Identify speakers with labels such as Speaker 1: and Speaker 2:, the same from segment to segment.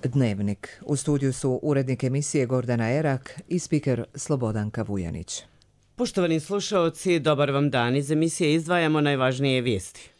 Speaker 1: Dnevnik. U studiju su urednik emisije Gordana Erak i spiker Slobodanka Vujanić.
Speaker 2: Poštovani slušaoci, dobar vam dan. Iz emisije izdvajamo najvažnije vijesti.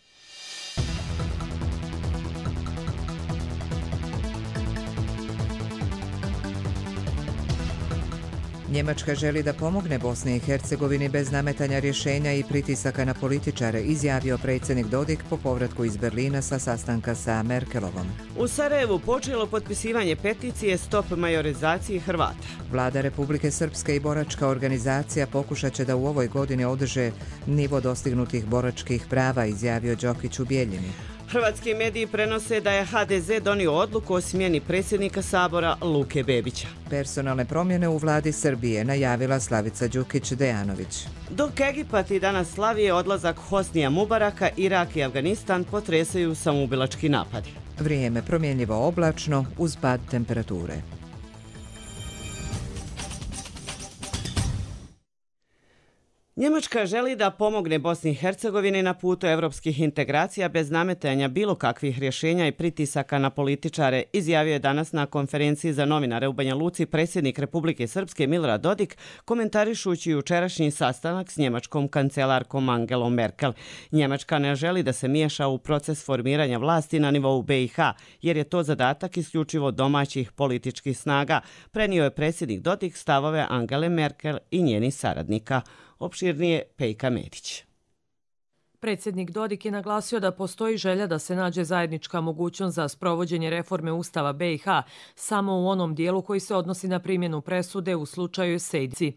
Speaker 1: Njemačka želi da pomogne Bosni i Hercegovini bez nametanja rješenja i pritisaka na političare, izjavio predsjednik Dodik po povratku iz Berlina sa sastanka sa Merkelovom.
Speaker 2: U Sarajevu počelo potpisivanje peticije Stop majorizaciji Hrvata.
Speaker 1: Vlada Republike Srpske i boračka organizacija pokušat će da u ovoj godini održe nivo dostignutih boračkih prava, izjavio Đokić u Bijeljini.
Speaker 2: Hrvatski mediji prenose da je HDZ donio odluku o smjeni predsjednika Sabora Luke Bebića.
Speaker 1: Personalne promjene u vladi Srbije najavila Slavica Đukić-Dejanović.
Speaker 2: Dok Egipat i danas slavi odlazak Hosnija Mubaraka, Irak i Afganistan potresaju samoubilački napadi.
Speaker 1: Vrijeme promjenjivo oblačno uz pad temperature.
Speaker 2: Njemačka želi da pomogne Bosni i Hercegovini na putu evropskih integracija bez nametanja bilo kakvih rješenja i pritisaka na političare, izjavio je danas na konferenciji za novinare u Banja Luci predsjednik Republike Srpske Milorad Dodik, komentarišući jučerašnji sastanak s njemačkom kancelarkom Angelom Merkel. Njemačka ne želi da se miješa u proces formiranja vlasti na nivou BiH, jer je to zadatak isključivo domaćih političkih snaga, prenio je predsjednik Dodik stavove Angele Merkel i njenih saradnika. Opširnije Pejka Medić.
Speaker 3: Predsjednik Dodik je naglasio da postoji želja da se nađe zajednička mogućnost za sprovođenje reforme Ustava BiH samo u onom dijelu koji se odnosi na primjenu presude u slučaju Sejdici.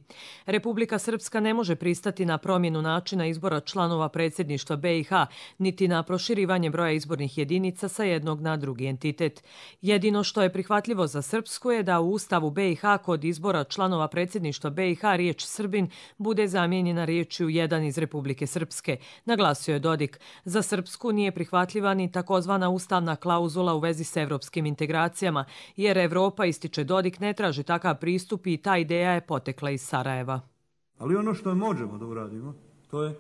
Speaker 3: Republika Srpska ne može pristati na promjenu načina izbora članova predsjedništva BiH, niti na proširivanje broja izbornih jedinica sa jednog na drugi entitet. Jedino što je prihvatljivo za Srpsku je da u Ustavu BiH kod izbora članova predsjedništva BiH riječ Srbin bude zamijenjena riječju jedan iz Republike Srpske. Naglasio je Dodik. Za Srpsku nije prihvatljiva ni takozvana ustavna klauzula u vezi s evropskim integracijama, jer Evropa, ističe Dodik, ne traži takav pristup i ta ideja je potekla iz Sarajeva.
Speaker 4: Ali ono što možemo da uradimo, to je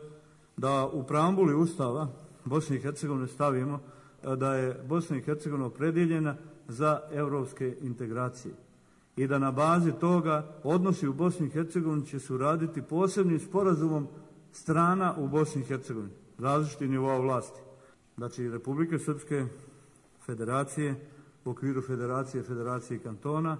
Speaker 4: da u preambuli Ustava Bosne i Hercegovine stavimo da je Bosna i Hercegovina opredjeljena za evropske integracije i da na bazi toga odnosi u Bosni i Hercegovini će se uraditi posebnim sporazumom strana u Bosni i Hercegovini, različitih nivoa vlasti. Znači Republike Srpske, Federacije, u okviru Federacije i kantona,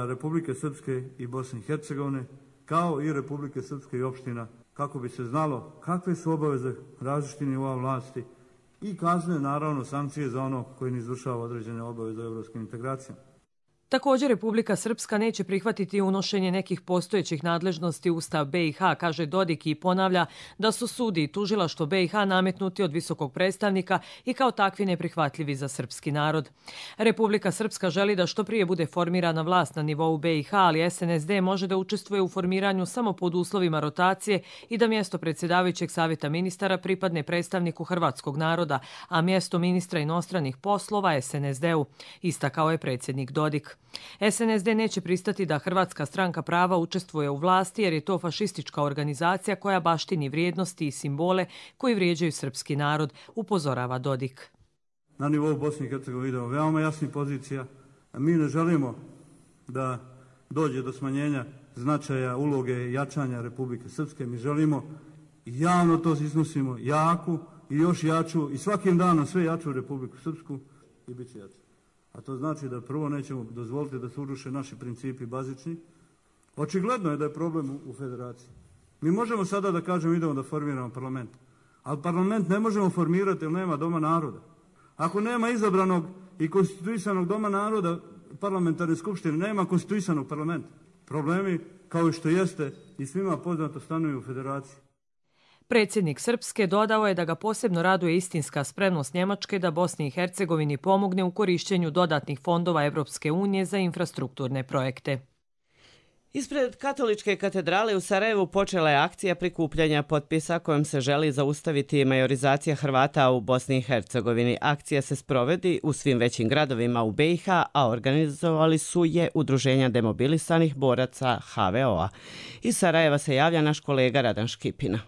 Speaker 4: Republike Srpske i Bosne i Hercegovine, kao i Republike Srpske i opština, kako bi se znalo kakve su obaveze različitih nivoa vlasti i kazne, naravno, sankcije za ono koji ne izvršava određene obaveze u evropskim integracijama.
Speaker 3: Također, Republika Srpska neće prihvatiti unošenje nekih postojećih nadležnosti u Ustav BiH, kaže Dodik i ponavlja da su sudi i tužilaštvo BiH nametnuti od visokog predstavnika i kao takvi neprihvatljivi za srpski narod. Republika Srpska želi da što prije bude formirana vlast na nivou BiH, ali SNSD može da učestvuje u formiranju samo pod uslovima rotacije i da mjesto predsjedavajućeg savjeta ministara pripadne predstavniku hrvatskog naroda, a mjesto ministra inostranih poslova SNSD-u, istakao je predsjednik Dodik. SNSD neće pristati da Hrvatska stranka prava učestvuje u vlasti jer je to fašistička organizacija koja baštini vrijednosti i simbole koji vrijeđaju srpski narod, upozorava Dodik.
Speaker 4: Na nivou Bosne i Hercegovine idemo veoma jasnih pozicija. Mi ne želimo da dođe do smanjenja značaja, uloge i jačanja Republike Srpske. Mi želimo i javno to iznosimo, jaku i još jaču i svakim danom sve jaču Republiku Srpsku i bit će jaču. A to znači da prvo nećemo dozvoliti da se uruše naši principi bazični. Očigledno je da je problem u federaciji. Mi možemo sada da kažemo idemo da formiramo parlament, ali parlament ne možemo formirati jer nema Doma naroda. Ako nema izabranog i konstituisanog Doma naroda, parlamentarne skupštine, nema konstituisanog parlamenta. Problemi, kao i što jeste i svima poznato, stanuju u federaciji.
Speaker 3: Predsjednik Srpske dodao je da ga posebno raduje istinska spremnost Njemačke da Bosni i Hercegovini pomogne u korištenju dodatnih fondova Evropske unije za infrastrukturne projekte.
Speaker 2: Ispred Katoličke katedrale u Sarajevu počela je akcija prikupljanja potpisa kojom se želi zaustaviti majorizacija Hrvata u Bosni i Hercegovini. Akcija se sprovodi u svim većim gradovima u BiH, a organizovali su je Udruženja demobilisanih boraca HVO-a. Iz Sarajeva se javlja naš kolega Radan Škipina.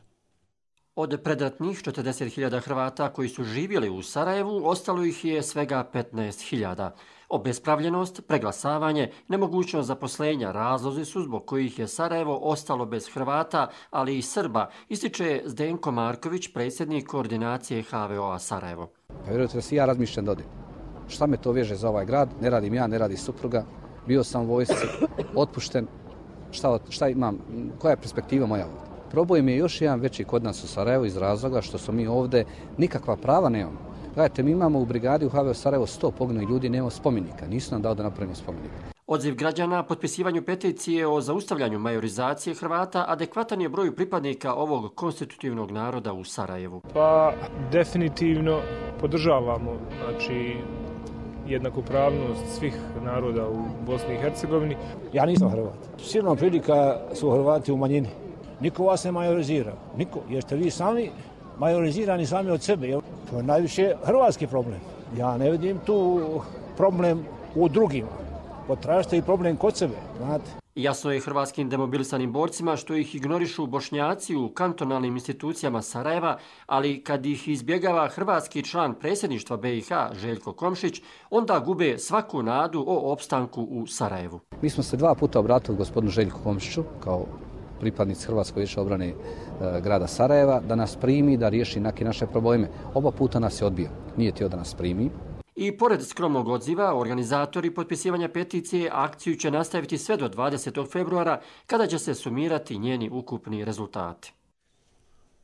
Speaker 5: Od predratnih 40.000 Hrvata koji su živjeli u Sarajevu, ostalo ih je svega 15.000. Obespravljenost, preglasavanje, nemogućnost zaposlenja razlozi su zbog kojih je Sarajevo ostalo bez Hrvata, ali i Srba, ističe Zdenko Marković, predsjednik koordinacije HVO-a Sarajevo.
Speaker 6: Pa vjerujte da si ja razmišljam da odem. Šta me to veže za ovaj grad? Ne radim ja, ne radi supruga. Bio sam u vojsci, otpušten. Šta imam? Koja je perspektiva moja ovdje? Problem je još jedan veći kod nas u Sarajevu iz razloga što smo mi ovdje nikakva prava nemamo. Gledajte, mi imamo u brigadi u HVO Sarajevo 100 poginulih ljudi, nemamo spomenika. Nisu nam dao da napravimo spomenik.
Speaker 5: Odziv građana potpisivanju peticije o zaustavljanju majorizacije Hrvata adekvatan je broju pripadnika ovog konstitutivnog naroda u Sarajevu.
Speaker 7: Pa definitivno podržavamo jednakopravnost svih naroda u Bosni i Hercegovini.
Speaker 8: Ja nisam Hrvat. Silna prilika su Hrvati u manjini. Niko vas ne majorizira. Niko. Jer ste vi sami majorizirani sami od sebe. To je najviše hrvatski problem. Ja ne vidim tu problem u drugima. Potražite i problem kod sebe, znate.
Speaker 5: Jasno je hrvatskim demobilisanim borcima što ih ignorišu Bošnjaci u kantonalnim institucijama Sarajeva, ali kad ih izbjegava hrvatski član predsjedništva BiH Željko Komšić, onda gube svaku nadu o opstanku u Sarajevu.
Speaker 6: Mi smo se 2 puta obratili gospodinu Željku Komšiću kao pripadnici Hrvatskog vijeća obrane grada Sarajeva da nas primi, da riješi neke naše probleme. Oba puta nas je odbio. Nije htio da nas primi.
Speaker 5: I pored skromnog odziva, organizatori potpisivanja peticije akciju će nastaviti sve do 20. februara kada će se sumirati njeni ukupni rezultati.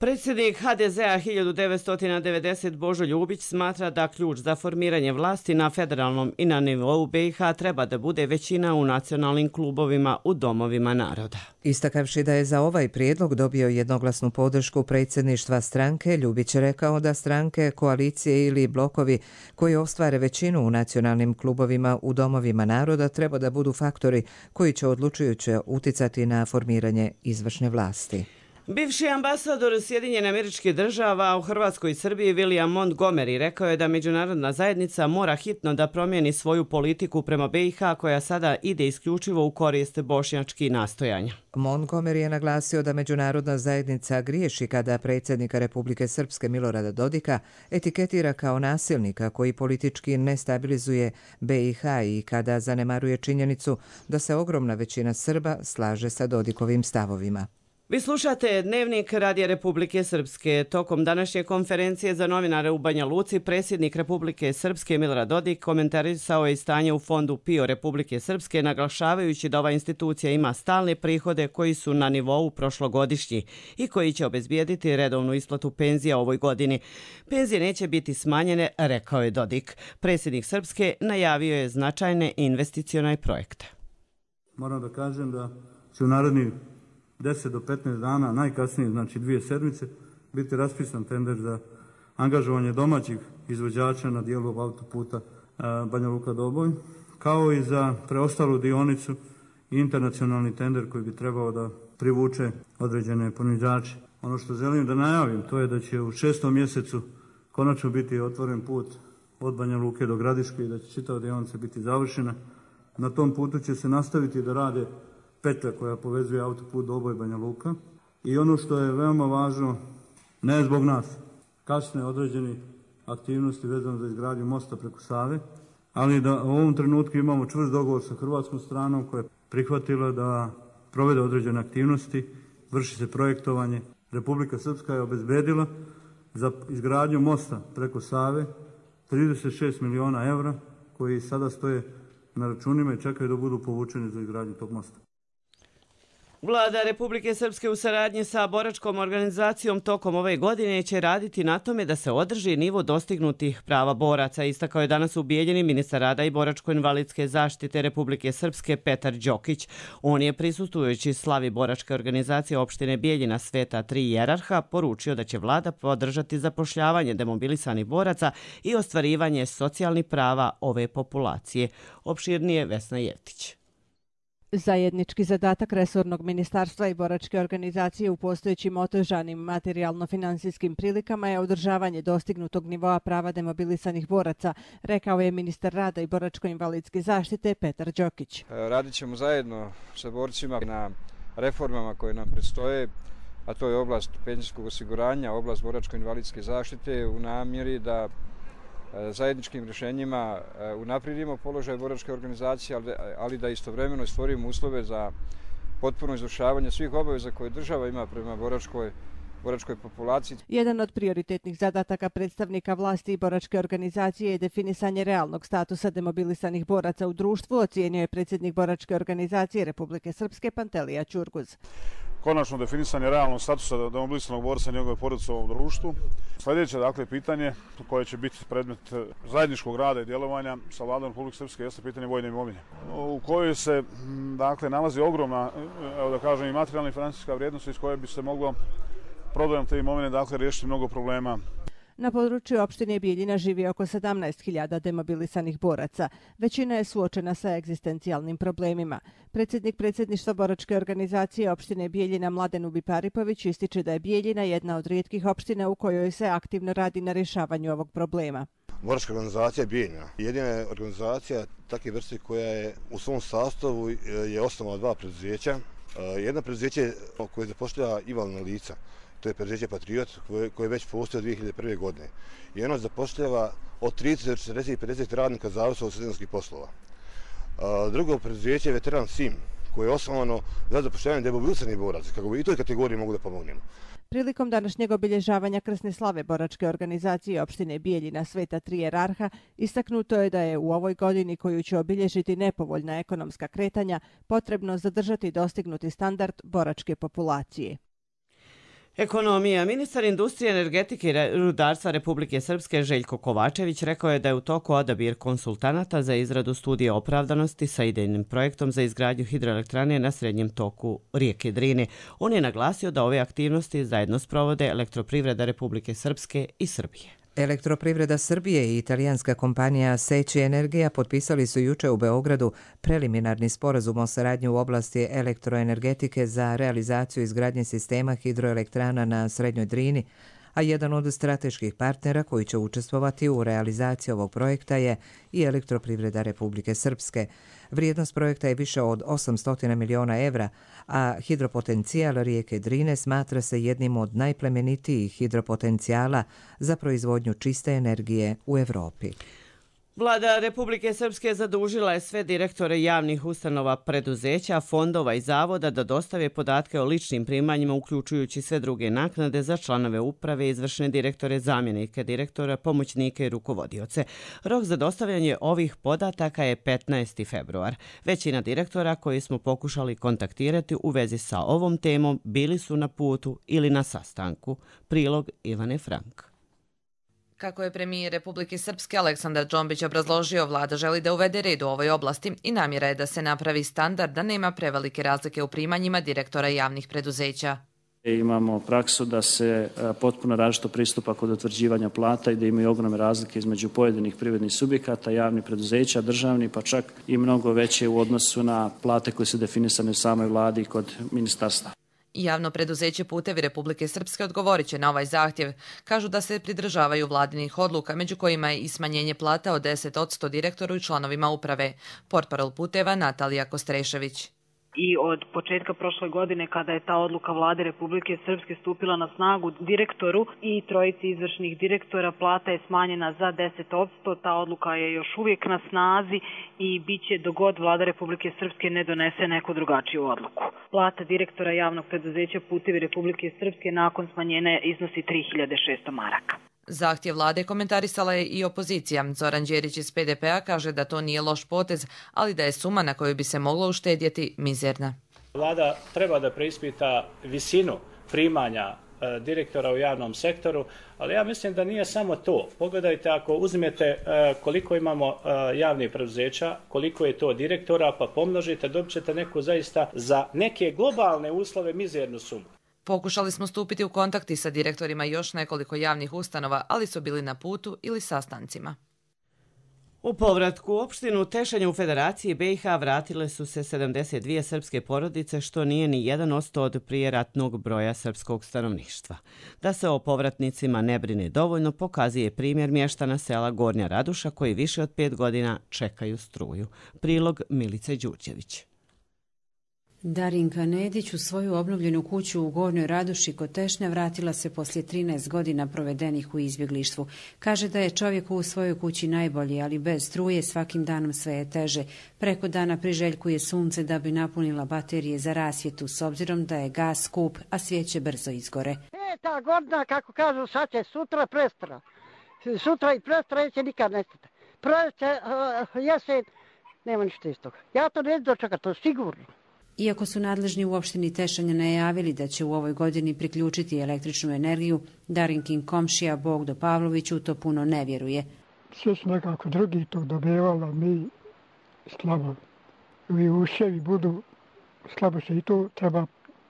Speaker 2: Predsjednik HDZ-a 1990 Božo Ljubić smatra da ključ za formiranje vlasti na federalnom i na nivou BiH treba da bude većina u nacionalnim klubovima u domovima naroda.
Speaker 1: Istakavši da je za ovaj prijedlog dobio jednoglasnu podršku predsjedništva stranke, Ljubić je rekao da stranke, koalicije ili blokovi koji ostvare većinu u nacionalnim klubovima u domovima naroda treba da budu faktori koji će odlučujuće uticati na formiranje izvršne vlasti.
Speaker 2: Bivši ambasador Sjedinjenih Američkih Država u Hrvatskoj i Srbiji William Montgomery rekao je da međunarodna zajednica mora hitno da promijeni svoju politiku prema BiH koja sada ide isključivo u korist bošnjačkih nastojanja.
Speaker 1: Montgomery je naglasio da međunarodna zajednica griješi kada predsjednika Republike Srpske Milorada Dodika etiketira kao nasilnika koji politički nestabilizuje BiH i kada zanemaruje činjenicu da se ogromna većina Srba slaže sa Dodikovim stavovima.
Speaker 2: Vi slušate Dnevnik Radija Republike Srpske. Tokom današnje konferencije za novinare u Banja Luci, predsjednik Republike Srpske Milorad Dodik komentarisao je stanje u fondu PIO Republike Srpske, naglašavajući da ova institucija ima stalne prihode koji su na nivou prošlogodišnji i koji će obezbijediti redovnu isplatu penzija ovoj godini. Penzije neće biti smanjene, rekao je Dodik. Predsjednik Srpske najavio je značajne investicione projekte.
Speaker 4: Moram da kažem da će u narednih 10 do 15 dana, najkasnije, znači 2 sedmice, biti raspisan tender za angažovanje domaćih izvođača na dijelu autoputa Banja Luka-Doboj, kao i za preostalu dionicu i internacionalni tender koji bi trebao da privuče određene ponuđače. Ono što želim da najavim, to je da će u 6. mjesecu konačno biti otvoren put od Banja Luke do Gradiške i da će čitava dionica biti završena. Na tom putu će se nastaviti da rade petlja koja povezuje autoput Doboj Banja Luka i ono što je veoma važno, ne zbog nas, kasne određeni aktivnosti vezano za izgradnju mosta preko Save, ali da u ovom trenutku imamo čvrst dogovor sa hrvatskom stranom koja je prihvatila da provede određene aktivnosti, vrši se projektovanje. Republika Srpska je obezbedila za izgradnju mosta preko Save 36 miliona evra koji sada stoje na računima i čekaju da budu povučeni za izgradnju tog mosta.
Speaker 2: Vlada Republike Srpske u saradnji sa boračkom organizacijom tokom ove godine će raditi na tome da se održi nivo dostignutih prava boraca, istakao je danas u Bijeljini ministar rada i boračko-invalidske zaštite Republike Srpske Petar Đokić. On je prisustvujući slavi boračke organizacije opštine Bijeljina Sveta 3 Jerarha poručio da će vlada podržati zapošljavanje demobilisanih boraca i ostvarivanje socijalnih prava ove populacije. Opširnije Vesna Jevtić.
Speaker 9: Zajednički zadatak resornog ministarstva i boračke organizacije u postojećim otežanim materijalno-finansijskim prilikama je održavanje dostignutog nivoa prava demobilisanih boraca, rekao je ministar rada i boračko-invalidske zaštite Petar Đokić.
Speaker 10: Radit ćemo zajedno sa borcima na reformama koje nam predstoje, a to je oblast penzijskog osiguranja, oblast boračko-invalidske zaštite u namjeri da zajedničkim rješenjima unaprijedimo položaj boračke organizacije, ali da istovremeno stvorimo uslove za potpuno izvršavanje svih obaveza koje država ima prema boračkoj populaciji.
Speaker 9: Jedan od prioritetnih zadataka predstavnika vlasti i boračke organizacije je definisanje realnog statusa demobilisanih boraca u društvu, ocijenio je predsjednik boračke organizacije Republike Srpske Pantelija Ćurguz.
Speaker 11: Konačno definisanje realnog statusa demobilisanog borca i njegove porodice u ovom društvu. Sljedeće pitanje koje će biti predmet zajedničkog rada i djelovanja sa vladom Republike Srpske jeste pitanje vojne imovine, u kojoj se nalazi ogromna, i materijalna i financijska vrijednost iz koje bi se moglo prodajom te imovine riješiti mnogo problema.
Speaker 9: Na području opštine Bijeljina živi oko 17.000 demobilisanih boraca. Većina je suočena sa egzistencijalnim problemima. Predsjednik predsjedništva boračke organizacije opštine Bijeljina Mladen Ubiparipović ističe da je Bijeljina jedna od rijetkih opština u kojoj se aktivno radi na rješavanju ovog problema.
Speaker 12: Boračka organizacija Bijeljina jedina je organizacija takve vrste koja je u svom sastavu je osnovala dva preduzeća. Jedno preduzeće koje zapošljava invalidna lica. To je preduzeće Patriot koje već postoji od 2001. godine. I ono zapošljava od 30 do 40 i 50 radnika zavisno od sezonskih poslova. Drugo preduzeće je Veteran Sim koje je osnovano za zapošljavanje demobilisanih boraca, kako bi i toj kategoriji mogu da pomognemo.
Speaker 9: Prilikom današnjeg obilježavanja krsne slave boračke organizacije opštine Bijeljina Sveta Tri Jerarha istaknuto je da je u ovoj godini koju će obilježiti nepovoljna ekonomska kretanja potrebno zadržati dostignuti standard boračke populacije.
Speaker 2: Ekonomija. Ministar industrije, energetike i rudarstva Republike Srpske Željko Kovačević rekao je da je u toku odabir konsultanata za izradu studije opravdanosti sa idejnim projektom za izgradnju hidroelektrane na srednjem toku rijeke Drine. On je naglasio da ove aktivnosti zajedno sprovode Elektroprivreda Republike Srpske i Srbije.
Speaker 1: Elektroprivreda Srbije i italijanska kompanija Seći Energija potpisali su juče u Beogradu preliminarni sporazum o saradnji u oblasti elektroenergetike za realizaciju izgradnje sistema hidroelektrana na Srednjoj Drini, a jedan od strateških partnera koji će učestvovati u realizaciji ovog projekta je i Elektroprivreda Republike Srpske. Vrijednost projekta je više od 800 miliona evra, a hidropotencijal rijeke Drine smatra se jednim od najplemenitijih hidropotencijala za proizvodnju čiste energije u Evropi.
Speaker 2: Vlada Republike Srpske zadužila je sve direktore javnih ustanova, preduzeća, fondova i zavoda da dostave podatke o ličnim primanjima, uključujući sve druge naknade za članove uprave, izvršne direktore, zamjenike direktora, pomoćnike i rukovodioce. Rok za dostavljanje ovih podataka je 15. februar. Većina direktora koji smo pokušali kontaktirati u vezi sa ovom temom bili su na putu ili na sastanku. Prilog Ivane Frank.
Speaker 13: Kako je premijer Republike Srpske Aleksandar Džombić obrazložio, vlada želi da uvede red u ovoj oblasti i namjera je da se napravi standard da nema prevelike razlike u primanjima direktora javnih preduzeća.
Speaker 14: Imamo praksu da se potpuno različito pristupa kod utvrđivanja plata i da imaju ogromne razlike između pojedinih privrednih subjekata, javnih preduzeća, državni, pa čak i mnogo veće u odnosu na plate koje su definisane u samoj vladi kod ministarstva.
Speaker 13: Javno preduzeće Putevi Republike Srpske odgovorit će na ovaj zahtjev. Kažu da se pridržavaju vladinih odluka, među kojima je i smanjenje plata od 10% direktoru i članovima uprave. Portparol Puteva Natalija Kostrešević.
Speaker 15: I od početka prošle godine kada je ta odluka vlade Republike Srpske stupila na snagu, direktoru i trojici izvršnih direktora plata je smanjena za 10%. Ta odluka je još uvijek na snazi i bit će dok god vlada Republike Srpske ne donese neku drugačiju odluku. Plata direktora javnog preduzeća Putevi Republike Srpske nakon smanjenja iznosi 3600 maraka.
Speaker 13: Zahtjev vlade komentarisala je i opozicija. Zoran Đerić iz PDP-a kaže da to nije loš potez, ali da je suma na kojoj bi se moglo uštedjeti mizerna.
Speaker 16: Vlada treba da preispita visinu primanja direktora u javnom sektoru, ali ja mislim da nije samo to. Pogledajte, ako uzmete koliko imamo javnih preduzeća, koliko je to direktora, pa pomnožite, dobit ćete neku zaista za neke globalne uslove mizernu sumu.
Speaker 13: Pokušali smo stupiti u kontakti sa direktorima još nekoliko javnih ustanova, ali su bili na putu ili sastancima.
Speaker 2: U povratku u opštinu Tešanj u Federaciji BiH vratile su se 72 srpske porodice, što nije ni 1% od prijeratnog broja srpskog stanovništva. Da se o povratnicima ne brine dovoljno, pokazuje primjer mještana sela Gornja Raduša koji više od 5 godina čekaju struju. Prilog Milice Đurđević.
Speaker 17: Darinka Nedić u svoju obnovljenu kuću u Gornjoj Radoši kod Tešnja vratila se poslije 13 godina provedenih u izbjeglištvu. Kaže da je čovjeku u svojoj kući najbolji, ali bez struje svakim danom sve je teže. Preko dana priželjkuje sunce da bi napunila baterije za rasvjetu, s obzirom da je gas skup, a svijeće brzo izgore.
Speaker 18: 5. godina, kako kažu, sad će sutra prestra. Sutra i prestra će nikad nestati. Proljeće, jesen, nema ništa iz toga. Ja to ne dočekam, to sigurno.
Speaker 17: Iako su nadležni u opštini Tešanj najavili da će u ovoj godini priključiti električnu energiju, Darinkin komšija Bogdo Pavlović u to puno ne vjeruje.
Speaker 19: Sve su nekako drugi to dobivali, mi slabo. I uševi budu slabo se i to treba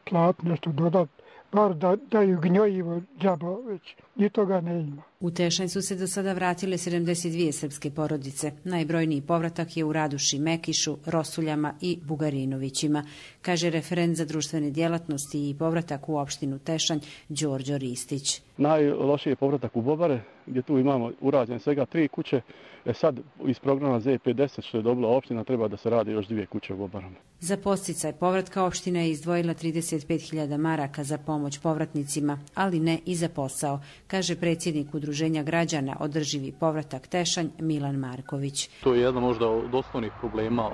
Speaker 19: platiti, nešto dodati. Bar da daju gnjojivo džaba, već ni toga ne ima.
Speaker 17: U Tešanj su se do sada vratile 72 srpske porodice. Najbrojniji povratak je u Raduši, Mekišu, Rosuljama i Bugarinovićima, kaže referent za društvene djelatnosti i povratak u opštinu Tešanj Đorđo Ristić.
Speaker 20: Najlošiji je povratak u Bobare, gdje tu imamo urađene svega 3 kuće. Sad iz programa ZP10 što je dobila opština treba da se radi još 2 kuće u Bobarama.
Speaker 17: Za podsticaj povratka opština je izdvojila 35.000 maraka za pomoć povratnicima, ali ne i za posao, kaže predsjednik Udruženja građana Održivi povratak Tešanj Milan Marković.
Speaker 21: To je jedan možda od osnovnih problema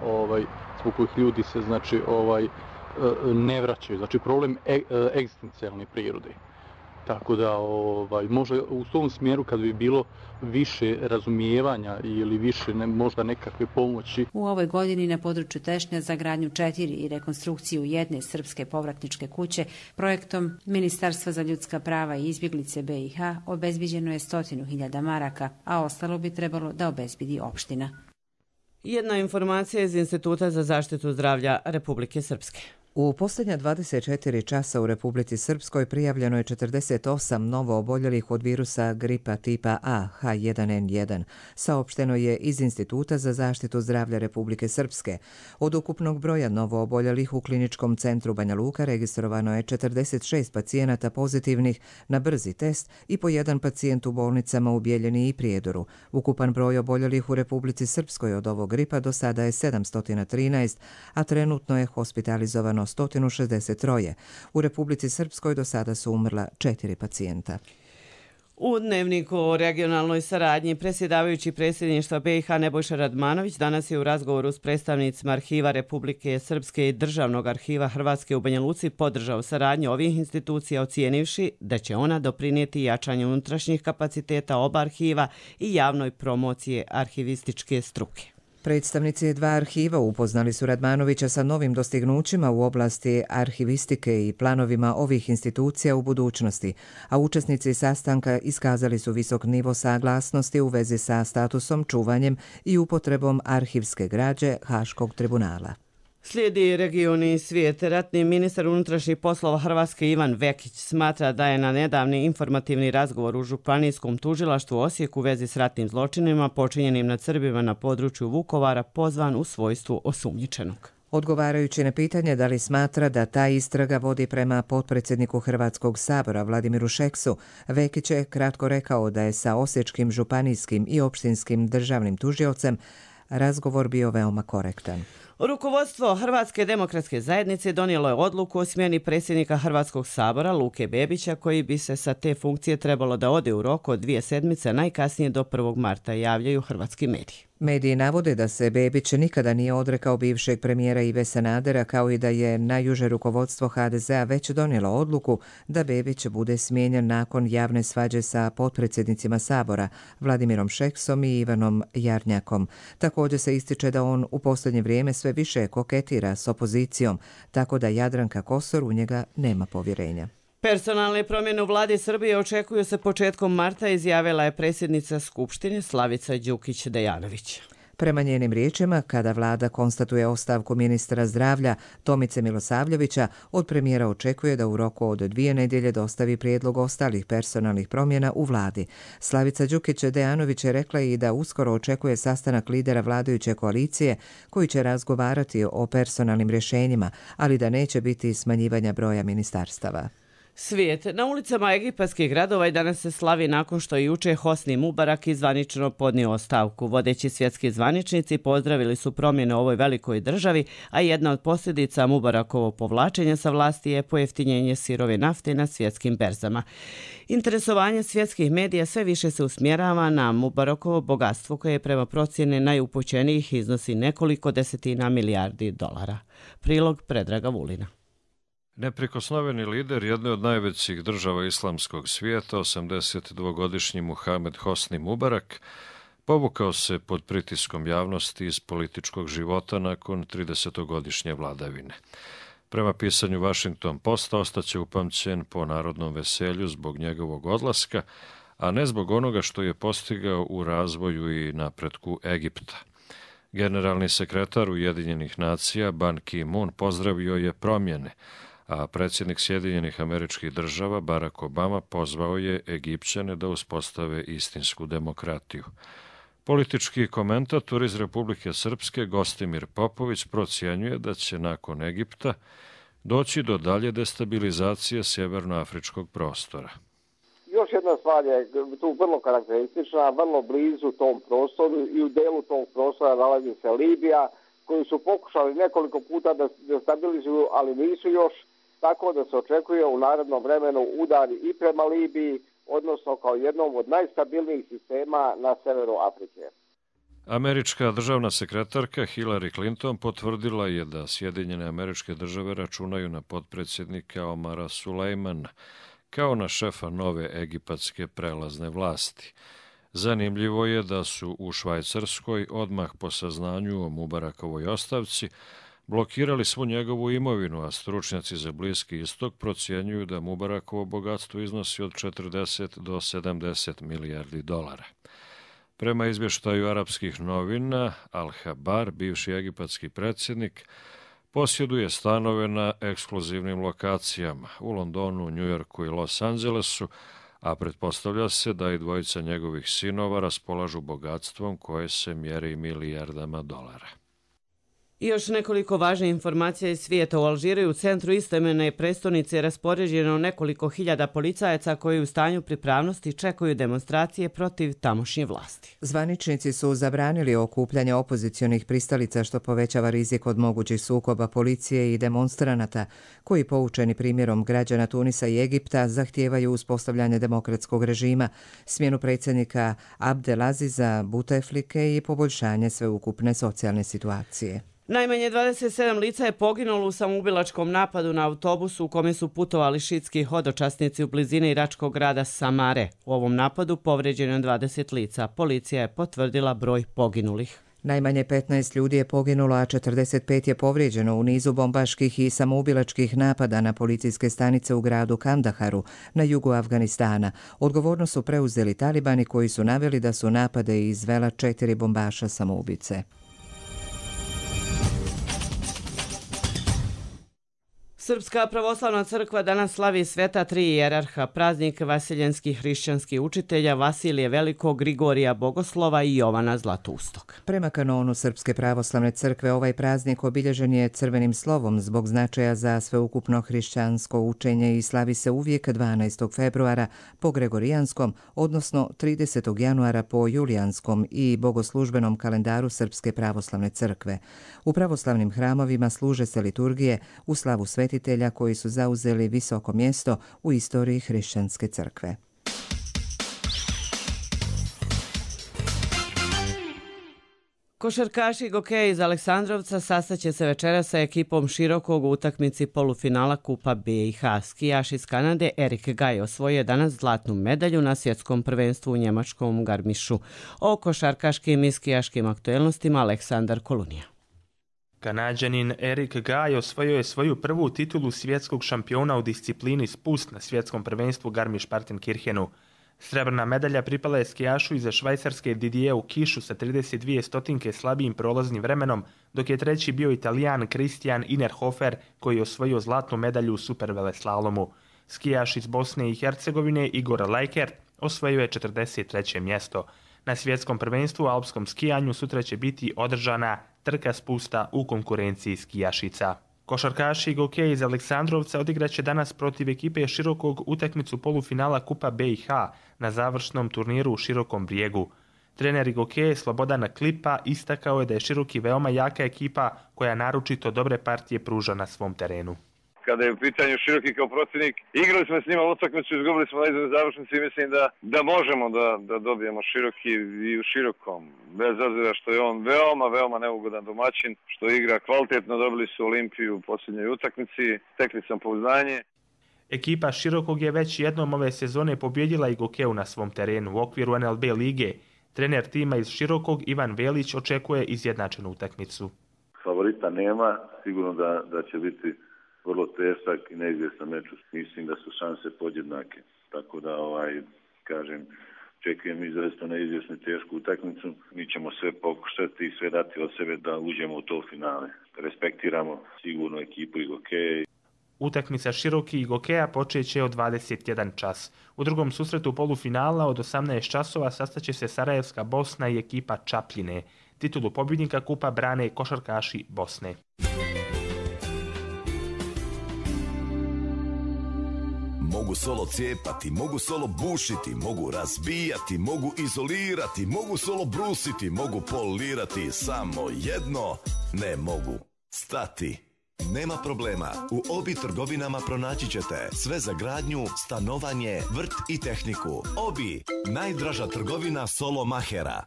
Speaker 21: zbog kojih ljudi se ne vraćaju. Znači problem egzistencijalne prirode. Tako da možda u tom smjeru kad bi bilo više razumijevanja ili više možda nekakve pomoći.
Speaker 17: U ovoj godini na području Tešnja za gradnju 4 i rekonstrukciju 1 srpske povratničke kuće projektom Ministarstva za ljudska prava i izbjeglice BiH obezbiđeno je 100.000 maraka, a ostalo bi trebalo da obezbidi opština.
Speaker 2: Jedna informacija iz Instituta za zaštitu zdravlja Republike Srpske.
Speaker 1: U posljednja 24 časa u Republici Srpskoj prijavljeno je 48 novo oboljelih od virusa gripa tipa A H1N1. Saopšteno je iz Instituta za zaštitu zdravlja Republike Srpske. Od ukupnog broja novo oboljelih u kliničkom centru Banja Luka registrovano je 46 pacijenata pozitivnih na brzi test i po 1 pacijent u bolnicama u Bijeljini i Prijedoru. Ukupan broj oboljelih u Republici Srpskoj od ovog gripa do sada je 713, a trenutno je hospitalizovano 163. U Republici Srpskoj do sada su umrla 4 pacijenta.
Speaker 2: U Dnevniku o regionalnoj saradnji predsjedavajući predsjedništva BiH Nebojša Radmanović danas je u razgovoru s predstavnicima Arhiva Republike Srpske i Državnog arhiva Hrvatske u Banja Luci podržao saradnju ovih institucija ocijenivši da će ona doprinijeti jačanju unutrašnjih kapaciteta oba arhiva i javnoj promocije arhivističke struke.
Speaker 1: Predstavnici 2 arhiva upoznali su Radmanovića sa novim dostignućima u oblasti arhivistike i planovima ovih institucija u budućnosti, a učesnici sastanka iskazali su visok nivo saglasnosti u vezi sa statusom, čuvanjem i upotrebom arhivske građe Haškog tribunala.
Speaker 2: Slijedi regioni i svijet. Ratni ministar unutrašnjih poslova Hrvatske Ivan Vekić smatra da je na nedavni informativni razgovor u Županijskom tužilaštvu Osijek u vezi s ratnim zločinima počinjenim nad Srbima na području Vukovara pozvan u svojstvu osumnjičenog.
Speaker 1: Odgovarajući na pitanje da li smatra da ta istraga vodi prema potpredsjedniku Hrvatskog sabora Vladimiru Šeksu, Vekić je kratko rekao da je sa osječkim županijskim i opštinskim državnim tužiocem razgovor bio veoma korektan.
Speaker 2: Rukovodstvo Hrvatske demokratske zajednice donijelo je odluku o smjeni predsjednika Hrvatskog sabora Luke Bebića koji bi se sa te funkcije trebalo da ode u roku od 2 sedmice, najkasnije do 1. marta, javljaju hrvatski mediji.
Speaker 1: Mediji navode da se Bebić nikada nije odrekao bivšeg premijera Ive Sanadera, kao i da je najuže rukovodstvo HDZ-a već donijelo odluku da Bebić bude smijenjen nakon javne svađe sa potpredsjednicima Sabora Vladimirom Šeksom i Ivanom Jarnjakom. Također se ističe da on u posljednje vrijeme sve više koketira s opozicijom, tako da Jadranka Kosor u njega nema povjerenja.
Speaker 2: Personalne promjene u vladi Srbije očekuju se početkom marta, izjavila je predsjednica Skupštine Slavica Đukić-Dejanović.
Speaker 1: Prema njenim riječima, kada vlada konstatuje ostavku ministra zdravlja Tomice Milosavljevića, od premijera očekuje da u roku od 2 nedjelje dostavi prijedlog ostalih personalnih promjena u vladi. Slavica Đukić-Dejanović je rekla i da uskoro očekuje sastanak lidera vladajuće koalicije koji će razgovarati o personalnim rješenjima, ali da neće biti smanjivanja broja ministarstava.
Speaker 2: Svijet. Na ulicama egipatskih gradova i danas se slavi nakon što je juče Hosni Mubarak zvanično podnio ostavku. Vodeći svjetski zvaničnici pozdravili su promjene u ovoj velikoj državi, a jedna od posljedica Mubarakovog povlačenja sa vlasti je pojeftinjenje sirove nafte na svjetskim berzama. Interesovanje svjetskih medija sve više se usmjerava na Mubarakovo bogatstvo koje prema procjene najupućenijih iznosi nekoliko desetina milijardi dolara. Prilog Predraga Vulina.
Speaker 3: Neprikosnoveni lider jedne od najvećih država islamskog svijeta, 82-godišnji Muhamed Hosni Mubarak, povukao se pod pritiskom javnosti iz političkog života nakon 30-godišnje vladavine. Prema pisanju Washington Posta ostaće upamćen po narodnom veselju zbog njegovog odlaska, a ne zbog onoga što je postigao u razvoju i napretku Egipta. Generalni sekretar Ujedinjenih nacija Ban Ki-moon pozdravio je promjene, a predsjednik Sjedinjenih Američkih Država Barack Obama pozvao je Egipćane da uspostave istinsku demokratiju. Politički komentator iz Republike Srpske Gostimir Popović procjenjuje da će nakon Egipta doći do dalje destabilizacije sjevernoafričkog prostora.
Speaker 22: Još jedna stvar je tu vrlo karakteristična, vrlo blizu tom prostoru i u delu tog prostora nalazi se Libija, koju su pokušali nekoliko puta da destabilizuju, ali nisu još, tako da se očekuje u narednom vremenu udar i prema Libiji, odnosno kao jednom od najstabilnijih sistema na severu Afrike.
Speaker 3: Američka državna sekretarka Hillary Clinton potvrdila je da Sjedinjene Američke Države računaju na potpredsjednika Omara Sulejmana kao na šefa nove egipatske prelazne vlasti. Zanimljivo je da su u Švajcarskoj odmah po saznanju o Mubarakovoj ostavci blokirali svu njegovu imovinu, a stručnjaci za Bliski istok procjenjuju da Mubarakovo bogatstvo iznosi od 40 do 70 milijardi dolara. Prema izvještaju arapskih novina, Al-Habar, bivši egipatski predsjednik, posjeduje stanove na ekskluzivnim lokacijama u Londonu, Njujorku i Los Angelesu, a pretpostavlja se da i dvojica njegovih sinova raspolažu bogatstvom koje se mjeri milijardama dolara.
Speaker 2: I još nekoliko važnih informacija iz svijeta. U Alžiru u centru istoimene prestonice je raspoređeno nekoliko hiljada policajaca koji u stanju pripravnosti čekaju demonstracije protiv tamošnje vlasti.
Speaker 1: Zvaničnici su zabranili okupljanje opozicionih pristalica što povećava rizik od mogućih sukoba policije i demonstranata koji, poučeni primjerom građana Tunisa i Egipta, zahtijevaju uspostavljanje demokratskog režima, smjenu predsjednika Abdelaziza Buteflike i poboljšanje sveukupne socijalne situacije.
Speaker 2: Najmanje 27 lica je poginulo u samoubilačkom napadu na autobusu u kome su putovali šiitski hodočasnici u blizini iračkog grada Samare. U ovom napadu povrijeđeno je 20 lica. Policija je potvrdila broj poginulih.
Speaker 1: Najmanje 15 ljudi je poginulo, a 45 je povrijeđeno u nizu bombaških i samoubilačkih napada na policijske stanice u gradu Kandaharu na jugu Afganistana. Odgovornost su preuzeli talibani koji su naveli da su napade izvela 4 bombaša samoubice.
Speaker 2: Srpska pravoslavna crkva danas slavi sveta tri ijerarha, praznik vasiljenskih hrišćanskih učitelja Vasilije Velikog, Grigorija Bogoslova i Jovana Zlatustog.
Speaker 1: Prema kanonu Srpske pravoslavne crkve ovaj praznik obilježen je crvenim slovom zbog značaja za sveukupno hrišćansko učenje i slavi se uvijek 12. februara po gregorijanskom, odnosno 30. januara po julijanskom i bogoslužbenom kalendaru Srpske pravoslavne crkve. U pravoslavnim hramovima služe se liturgije u slavu svetitelja koji su zauzeli visoko mjesto u istoriji hrišćanske crkve.
Speaker 2: Košarkaši Gokeja iz Aleksandrovca sastaće se večeras sa ekipom Širokog u utakmici polufinala Kupa BiH. Skijaš iz Kanade Erik Gaj osvojio danas zlatnu medalju na svjetskom prvenstvu u njemačkom Garmišu. O košarkaškim i skijaškim aktuelnostima Aleksandar Kolunija.
Speaker 23: Kanađanin Erik Gaj osvojio je svoju prvu titulu svjetskog šampiona u disciplini spust na svjetskom prvenstvu Garmisch-Partenkirchenu. Srebrna medalja pripala je skijašu iza Švajcarske Didieu Kišu sa 32 stotinke slabijim prolaznim vremenom, dok je treći bio Italijan Christian Innerhofer koji je osvojio zlatnu medalju u superveleslalomu. Skijaš iz Bosne i Hercegovine Igor Lajkert osvojio je 43. mjesto. Na svjetskom prvenstvu u alpskom skijanju sutra će biti održana trka spusta u konkurenciji skijašica. Košarkaši Gokeja iz Aleksandrovca odigraće danas protiv ekipe Širokog utakmicu polufinala Kupa BiH na završnom turniru u Širokom Brijegu. Trener Gokeja Slobodan Klipa istakao je da je Široki veoma jaka ekipa koja naročito dobre partije pruža na svom terenu.
Speaker 6: Kada je u pitanju Široki kao protivnik, igrali smo s njima utakmicu, izgubili smo na izgled završnici i mislim da možemo da dobijemo Široki i u Širokom. Bez obzira što je on veoma neugodan domaćin, što igra kvalitetno, dobili su Olimpiju u posljednjoj utakmici, stekli sam pouzdanje.
Speaker 23: Ekipa Širokog je već jednom ove sezone pobjedila i Gokeju na svom terenu u okviru NLB lige. Trener tima iz Širokog Ivan Velić očekuje izjednačenu utakmicu.
Speaker 7: Favorita nema, sigurno da će biti vrlo težak i neizvjestan meč. Mislim da su šanse podjednake. Tako da, kažem, očekujem izrazito neizvjesnu tešku utakmicu. Mi ćemo sve pokušati i sve dati od sebe da uđemo u to finale. Respektiramo sigurno ekipu i Gokeja.
Speaker 23: Utakmica Široki i Gokeja počeće od 21 čas. U drugom susretu polufinala od 18 časova sastaće se Sarajevska Bosna i ekipa Čapljine. Titulu pobjednika kupa brane košarkaši Bosne.
Speaker 8: Mogu solo cijepati, mogu solo bušiti, mogu razbijati, mogu izolirati, mogu solo brusiti, mogu polirati, samo jedno ne mogu stati. Nema problema, u Obi trgovinama pronaći ćete sve za gradnju, stanovanje, vrt i tehniku. Obi, najdraža trgovina solo mahera.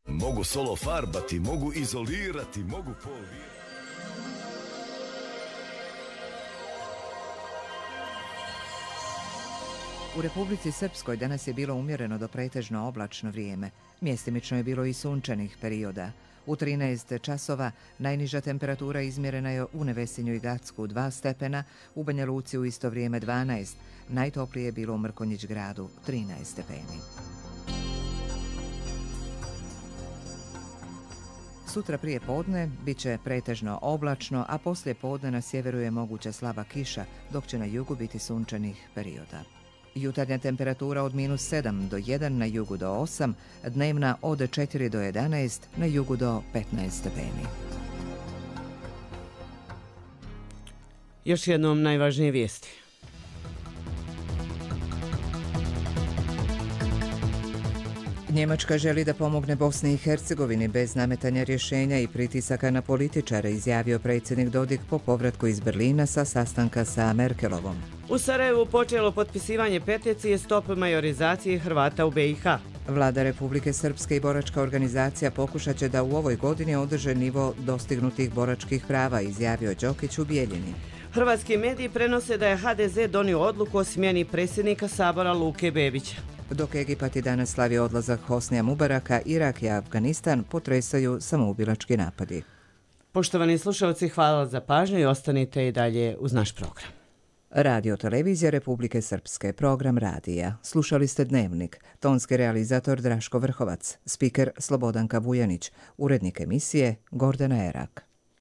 Speaker 8: Mogu solo farbati, mogu izolirati, mogu polirati.
Speaker 1: U Republici Srpskoj danas je bilo umjereno do pretežno oblačno vrijeme. Mjestimično je bilo i sunčanih perioda. U 13 časova najniža temperatura izmjerena je u Nevesinju i Gacku 2 stepena, u Banja Luci u isto vrijeme 12, najtoplije je bilo u Mrkonjić gradu 13 stepeni. Sutra prije podne bit će pretežno oblačno, a poslije podne na sjeveru je moguća slaba kiša, dok će na jugu biti sunčanih perioda. Jutarnja temperatura od -7 do 1, na jugu do 8, dnevna od 4 do 11, na jugu do 15 stepeni.
Speaker 2: Još jednom najvažnije vijesti.
Speaker 1: Njemačka želi da pomogne Bosni i Hercegovini bez nametanja rješenja i pritisaka na političare, izjavio predsjednik Dodik po povratku iz Berlina sa sastanka sa Merkelovom.
Speaker 2: U Sarajevu počelo potpisivanje peticije Stop majorizaciji Hrvata u BiH.
Speaker 1: Vlada Republike Srpske i boračka organizacija pokušat će da u ovoj godini održe nivo dostignutih boračkih prava, izjavio Đokić u Bijeljini.
Speaker 2: Hrvatski mediji prenose da je HDZ donio odluku o smjeni predsjednika Sabora Luke Bebića.
Speaker 1: Dok Egipat i danas slavi odlazak Hosnija Mubaraka, Irak i Afganistan potresaju samoubilački napadi.
Speaker 2: Poštovani slušalci, hvala za pažnju i ostanite i dalje uz naš program.
Speaker 1: Radio Televizija Republike Srpske, program radija. Slušali ste Dnevnik, tonski realizator Draško Vrhovac, spiker Slobodanka Vujanić, urednik emisije Gordana Erak.